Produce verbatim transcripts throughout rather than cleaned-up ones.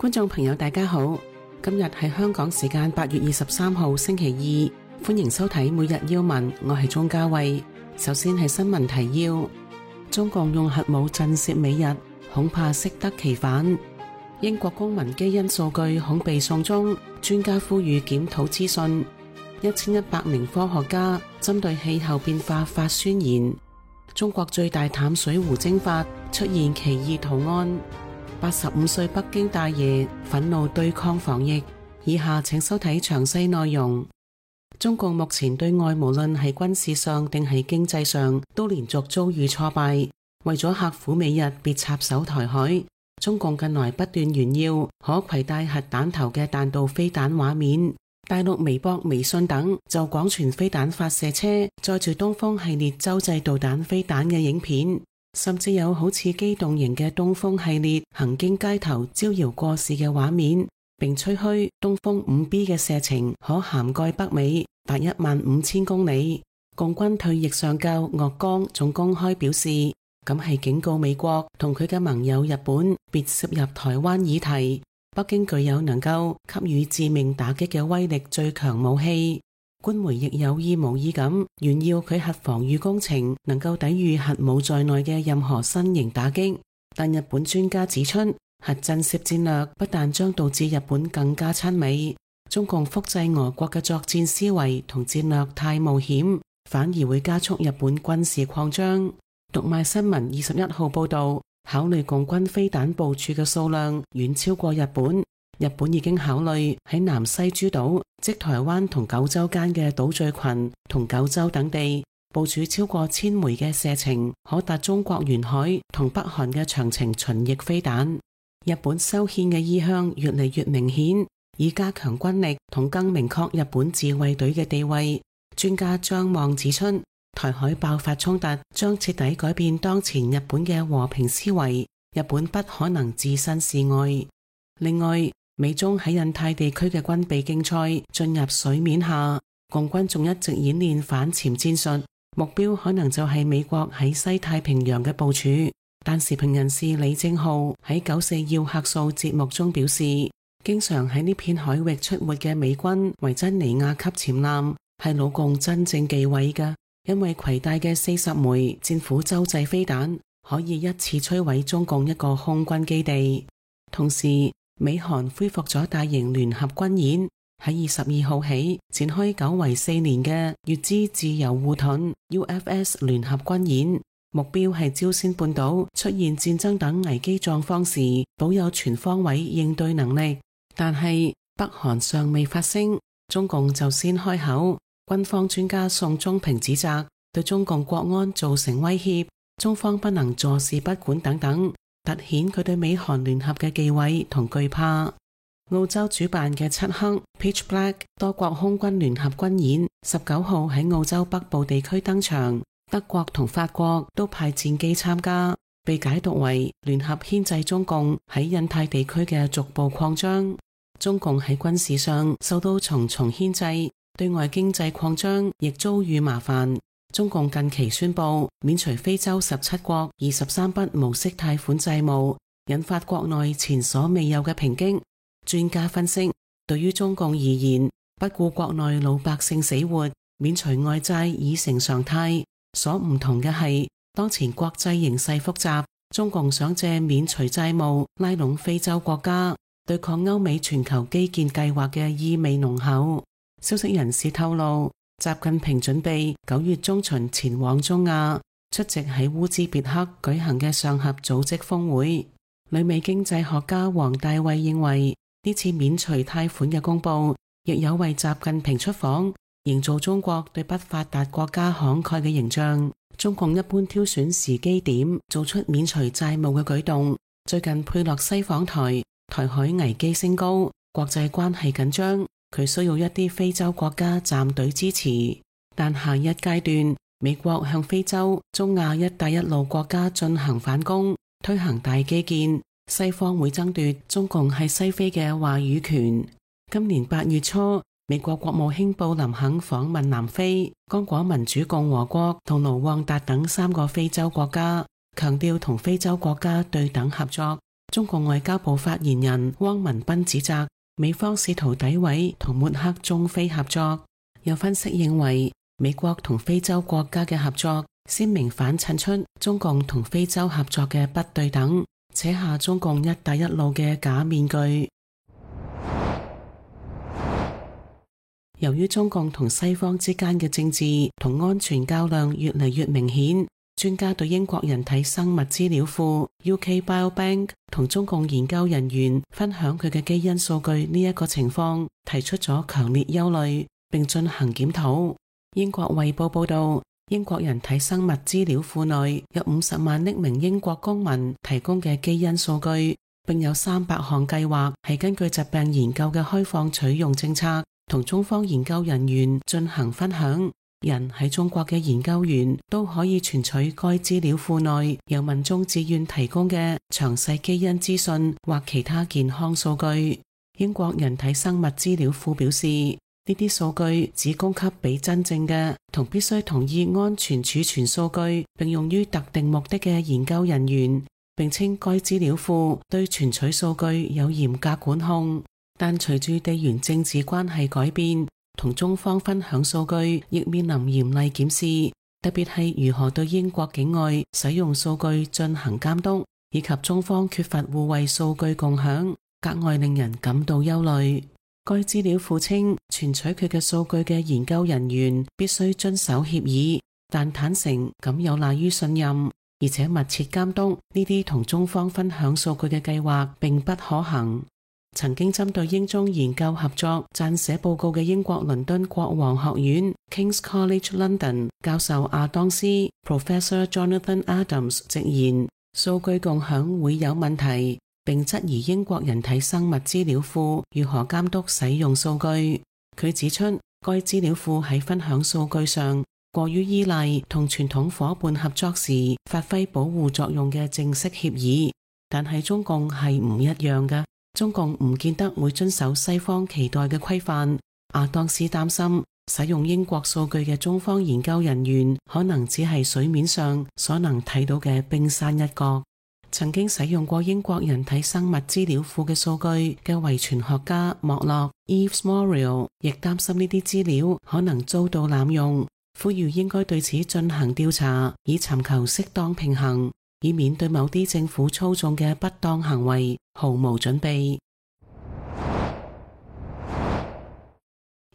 觀眾朋友大家好，今日係香港時間八月二十三號星期二，歡迎收睇每日要聞，我係鍾嘉慧。首先係新聞提要：中共用核武震懾美日，恐怕適得其反。英國公民基因數據恐被送中，專家呼籲檢討資訊。一千一百名科學家針對氣候變化發宣言。中國最大淡水湖蒸發出現奇異圖案。八十五歲北京大爺憤怒對抗防疫。以下請收睇詳細內容。中共目前對外無論係軍事上定係經濟上都連續遭遇挫敗。為咗嚇唬美日別插手台海，中共近來不斷炫耀可攜帶核彈頭嘅彈道飛彈畫面。大陸微博、微信等就廣傳飛彈發射車載住東風系列洲際導彈飛彈嘅影片。甚至有好似機動型嘅東風系列行經街頭招搖過市嘅畫面，並吹噓東風五 B 嘅射程可涵蓋北美達一萬五千公里。共軍退役上校岳剛仲公開表示，咁係警告美國同佢嘅盟友日本別涉入台灣議題。北京具有能夠給予致命打擊嘅威力最強武器。官媒亦有意無意咁炫耀佢核防禦工程能夠抵禦核武在內嘅任何新型打擊，但日本專家指出，核震懾戰略不但將導致日本更加親美，中共複製俄國嘅作戰思維同戰略太冒險，反而會加速日本軍事擴張。讀賣新聞二十一號報道，考慮共軍飛彈部署嘅數量遠超過日本。日本已經考慮喺南西諸島，即台灣同九州間嘅島嶼群同九州等地部署超過千枚嘅射程可達中國沿海同北韓嘅長程巡弋飛彈。日本修憲嘅意向越嚟越明顯，以加強軍力同更明確日本自衛隊嘅地位。專家張望指出，台海爆發衝突將徹底改變當前日本嘅和平思維，日本不可能置身事外。另外，美中喺印太地區嘅軍備競賽進入水面下，共軍仲一直演練反潛戰術，目標可能就係美國喺西太平洋嘅部署。但時評人士李正浩喺九四要客數節目中表示，經常喺呢片海域出沒嘅美軍維珍尼亞級潛艦係老共真正忌諱嘅，因為攜帶嘅四十枚戰斧洲際飛彈可以一次摧毀中共一個空軍基地。同時，美韓恢復咗大型聯合軍演，喺二十二號起展開久違四年嘅乙支自由護盾 U F S 聯合軍演，目標係朝鮮半島出現戰爭等危機狀況時保有全方位應對能力。但係北韓尚未發聲，中共就先開口。軍方專家宋忠平指責對中共國安造成威脅，中方不能坐視不管等等，凸顯佢對美韓聯合嘅忌諱同懼怕。澳洲主辦嘅漆黑 Pitch Black 多國空軍聯合軍演十九號喺澳洲北部地區登場，德國同法國都派戰機參加，被解讀為聯合牽制中共喺印太地區嘅逐步擴張。中共喺軍事上受到重重牽制，對外經濟擴張亦遭遇麻煩。中共近期宣布免除非洲十七國二十三筆無息貸款債務，引發國內前所未有嘅抨擊。專家分析，對於中共而言，不顧國內老百姓死活，免除外債已成常態。所唔同嘅係，當前國際形勢複雜，中共想借免除債務拉攏非洲國家，對抗歐美全球基建計劃嘅意味濃厚。消息人士透露，習近平準備九月中旬前往中亞，出席喺烏茲別克舉行嘅上合組織峰會。旅美經濟學家黃大衛認為，呢次免除貸款嘅公佈，亦有為習近平出訪營造中國對不發達國家慷慨嘅形象。中共一般挑選時機點做出免除債務嘅舉動。最近佩洛西訪台，台海危機升高，國際關係緊張，佢需要一啲非洲國家站隊支持。但下一階段，美國向非洲、中亞一帶一路國家進行反攻，推行大基建，西方會爭奪中共喺西非嘅話語權。今年八月初，美國國務卿布林肯訪問南非、剛果民主共和國同盧旺達等三個非洲國家，強調同非洲國家對等合作，中國外交部發言人汪文斌指責美方試圖詆毀同抹黑中非合作。有分析認為，美國同非洲國家嘅合作鮮明反襯出中共同非洲合作嘅不對等，扯下中共一帶一路嘅假面具。由於中共同西方之間嘅政治同安全較量越嚟越明顯，專家對英國人體生物資料庫 U K Biobank 同中共研究人員分享佢嘅基因數據呢一個情況提出咗強烈憂慮，並進行檢討。英國衛報報道，英國人體生物資料庫內有五十萬匿名英國公民提供嘅基因數據，並有三百項計劃係根據疾病研究嘅開放取用政策同中方研究人員進行分享。人喺中國嘅研究員都可以存取該資料庫內由民眾自願提供嘅詳細基因資訊或其他健康數據。英國人體生物資料庫表示，呢啲數據只供給俾真正嘅同必須同意安全儲存數據並用於特定目的嘅研究人員，並稱該資料庫對存取數據有嚴格管控。但隨住地緣政治關係改變，同中方分享數據亦面臨嚴厲檢視，特別係如何對英國境外使用數據進行監督，以及中方缺乏互惠數據共享，格外令人感到憂慮。該資料庫稱，存取佢嘅數據嘅研究人員必須遵守協議，但坦誠咁有賴於信任，而且密切監督呢啲同中方分享數據嘅計劃並不可行。曾經針對英中研究合作撰寫報告嘅英國倫敦國王學院 King's College London 教授亞當斯 Professor Jonathan Adams 直言，數據共享會有問題，並質疑英國人體生物資料庫如何監督使用數據。佢指出，該資料庫喺分享數據上過於依賴同傳統夥伴合作時發揮保護作用嘅正式協議，但係中共係唔一樣嘅。中共唔見得會遵守西方期待嘅規範。亞當斯擔心，使用英國數據嘅中方研究人員可能只係水面上所能睇到嘅冰山一角。曾經使用過英國人體生物資料庫嘅數據嘅遺傳學家莫洛 Yves Morial 亦擔心呢啲資料可能遭到濫用，呼籲應該對此進行調查，以尋求適當平衡，以免對某啲政府操縱嘅不當行為毫無準備。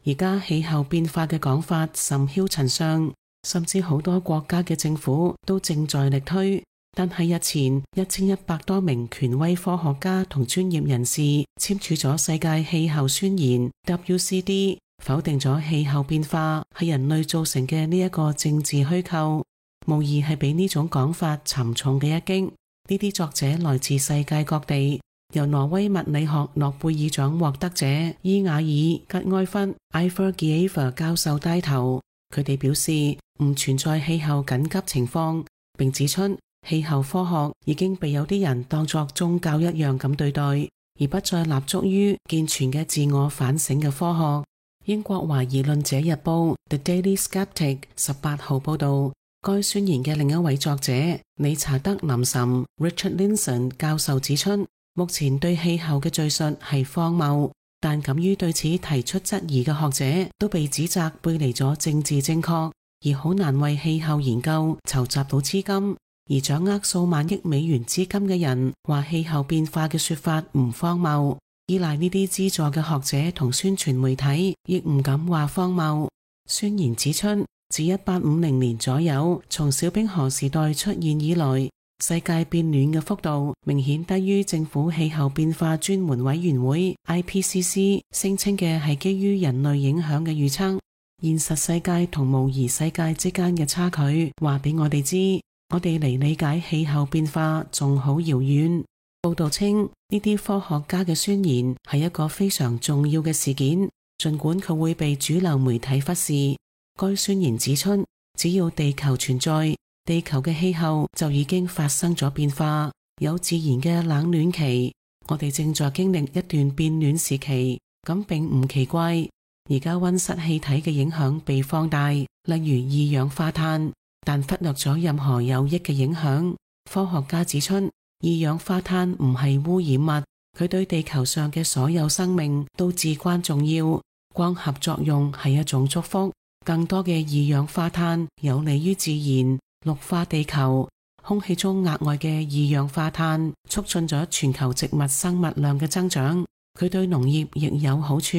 而家氣候變化嘅講法甚囂塵上，甚至好多國家嘅政府都正在力推。但係日前一千一百多名權威科學家同專業人士簽署咗世界氣候宣言 W C D， 否定咗氣候變化係人類造成嘅呢一個政治虛構，無疑係俾呢種講法沉重嘅一擊。呢啲作者來自世界各地，由挪威物理學諾貝爾獎獲得者伊瓦爾吉埃弗 Ivar Giæver 教授帶頭，佢哋表示唔存在氣候緊急情況，並指出氣候科學已經被有啲人當作宗教一樣咁對待，而不再立足於健全嘅自我反省嘅科學。英國懷疑論者日報 The Daily Skeptic 十八號報道，該宣言嘅另一位作者理查德林岑 Richard Linson 教授指出，目前對氣候嘅敘述係荒謬，但敢於對此提出質疑嘅學者都被指責背離咗政治正確，而好難為氣候研究籌集到資金。而掌握數萬億美元資金嘅人話氣候變化嘅說法唔荒謬，依賴呢啲資助嘅學者同宣傳媒體亦唔敢話荒謬。宣言指出，自一八五零年左右從小冰河時代出現以來，世界變暖嘅幅度明顯低於政府氣候變化專門委員會 I P C C 聲稱嘅係基於人類影響嘅預測。現實世界同模擬世界之間嘅差距話俾我哋知，我哋離理解氣候變化仲好遙遠。報道稱，呢啲科學家嘅宣言係一個非常重要嘅事件，儘管佢會被主流媒體忽視。該宣言指出，只要地球存在，地球嘅氣候就已經發生咗變化，有自然嘅冷暖期。我哋正在經歷一段變暖時期，咁並唔奇怪。而家溫室氣體嘅影響被放大，例如二氧化碳，但忽略咗任何有益嘅影響。科學家指出，二氧化碳唔係污染物，佢對地球上嘅所有生命都至關重要。光合作用係一種祝福，更多嘅二氧化碳有利於自然，綠化地球。空氣中額外嘅二氧化碳促進咗全球植物生物量嘅增長，佢對農業亦有好處，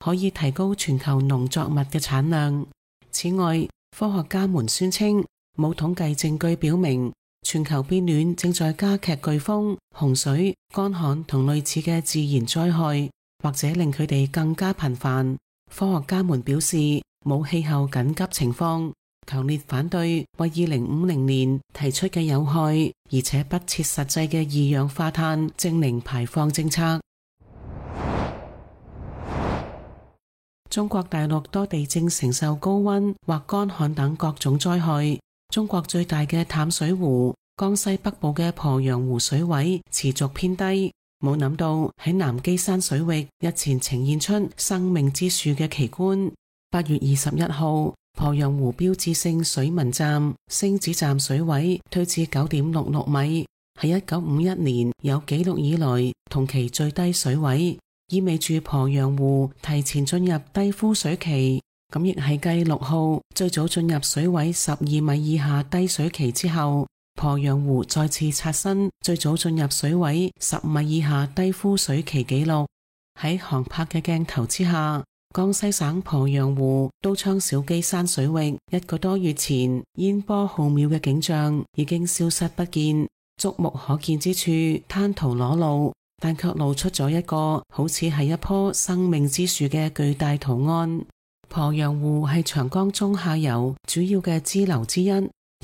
可以提高全球農作物嘅產量。此外，科學家們宣稱，冇統計證據表明全球變暖正在加劇颶風、洪水、乾旱同類似嘅自然災害，或者令佢哋更加頻繁。科學家們表示，冇氣候緊急情況，強烈反對為二零五零年提出嘅有害而且不切實際嘅二氧化碳淨零排放政策。中國大陸多地正承受高溫或乾旱等各種災害。中國最大嘅淡水湖江西北部嘅鄱陽湖水位持續偏低，冇諗到喺南基山水域日前呈現出生命之樹嘅奇觀。八月二十一號，鄱陽湖標誌性水文站星子站水位退至九點六六米，係一九五一年有紀錄以來同期最低水位，意味住鄱陽湖提前進入低枯水期。咁亦係繼六號最早進入水位十二米以下低水期之後，鄱陽湖再次刷新最早進入水位十米以下低枯水期紀錄。喺航拍嘅鏡頭之下，江西省鄱陽湖都昌小基山水域一個多月前煙波浩渺嘅景象已經消失不見，觸目可見之處灘塗裸露，但卻露出咗一個好似係一棵生命之樹嘅巨大圖案。鄱陽湖係長江中下游主要嘅支流之一，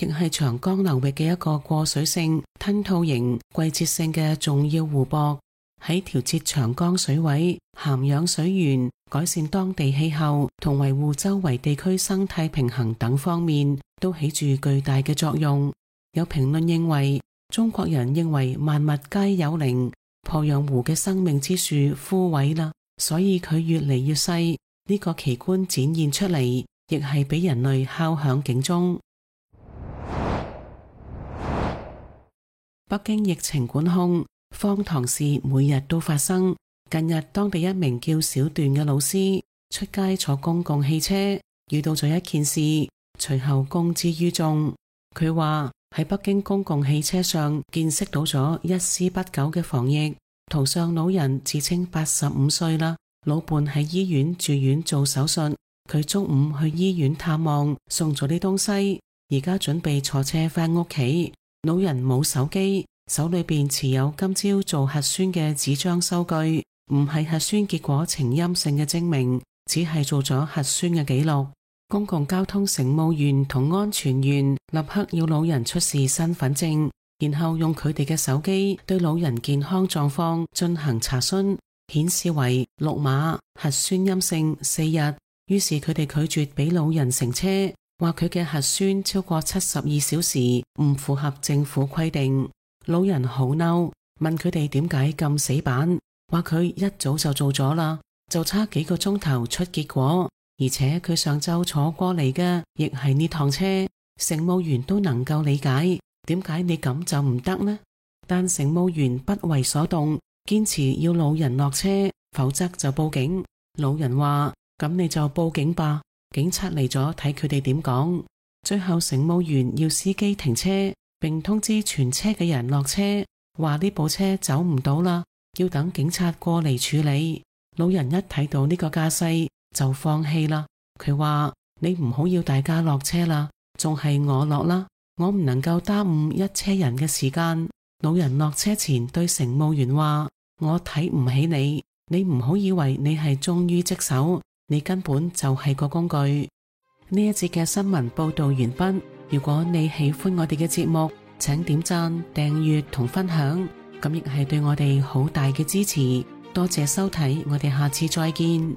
亦係長江流域嘅一個過水性、吞吐型、季節性嘅重要湖泊。喺調節長江水位、涵養水源、改善當地氣候同維護周圍地區生態平衡等方面，都起住巨大嘅作用。有評論認為，中國人認為萬物皆有靈，鄱陽湖嘅生命之樹枯萎啦，所以佢越嚟越細。呢個奇觀展現出嚟，亦係俾人類敲響警鐘。北京疫情管控，荒唐事每日都發生。近日，當地一名叫小段嘅老師出街坐公共汽車，遇到咗一件事，隨後公之於眾。佢話喺北京公共汽車上見識到咗一絲不苟嘅防疫。途上老人自稱八十五歲啦。老伴喺醫院住院做手術，佢中午去醫院探望，送咗啲東西，而家準備坐車返屋企。老人冇手機，手裏邊持有今朝做核酸嘅紙張收據，唔係核酸結果呈陰性嘅證明，只係做咗核酸嘅記錄。公共交通乘務員同安全員立刻要老人出示身份證，然後用佢哋嘅手機對老人健康狀況進行查詢。顯示為綠碼，核酸陰性四日，於是佢哋拒絕俾老人乘車，話佢嘅核酸超過七十二小時，唔符合政府規定。老人好嬲，問佢哋點解咁死板，話佢一早就做咗啦，就差幾個鐘頭出結果，而且佢上晝坐過嚟嘅亦係呢趟車，乘務員都能夠理解，點解你咁就唔得呢？但乘務員不為所動，堅持要老人落車，否則就報警。老人話：咁你就報警吧，警察嚟咗睇佢哋點講。最後乘務員要司機停車，並通知全車嘅人落車，話呢部車走唔到啦，要等警察過嚟處理。老人一睇到呢個架勢就放棄啦，佢話：你唔好要大家落車啦，仲係我落啦，我唔能夠耽誤一車人嘅時間。老人落車前對乘務員話：我睇唔起你，你唔好以為你係忠於職守，你根本就係個工具。呢一節嘅新聞報道完畢。如果你喜歡我哋嘅節目，請點讚、訂閱同分享，咁亦係對我哋好大嘅支持。多謝收睇，我哋下次再見。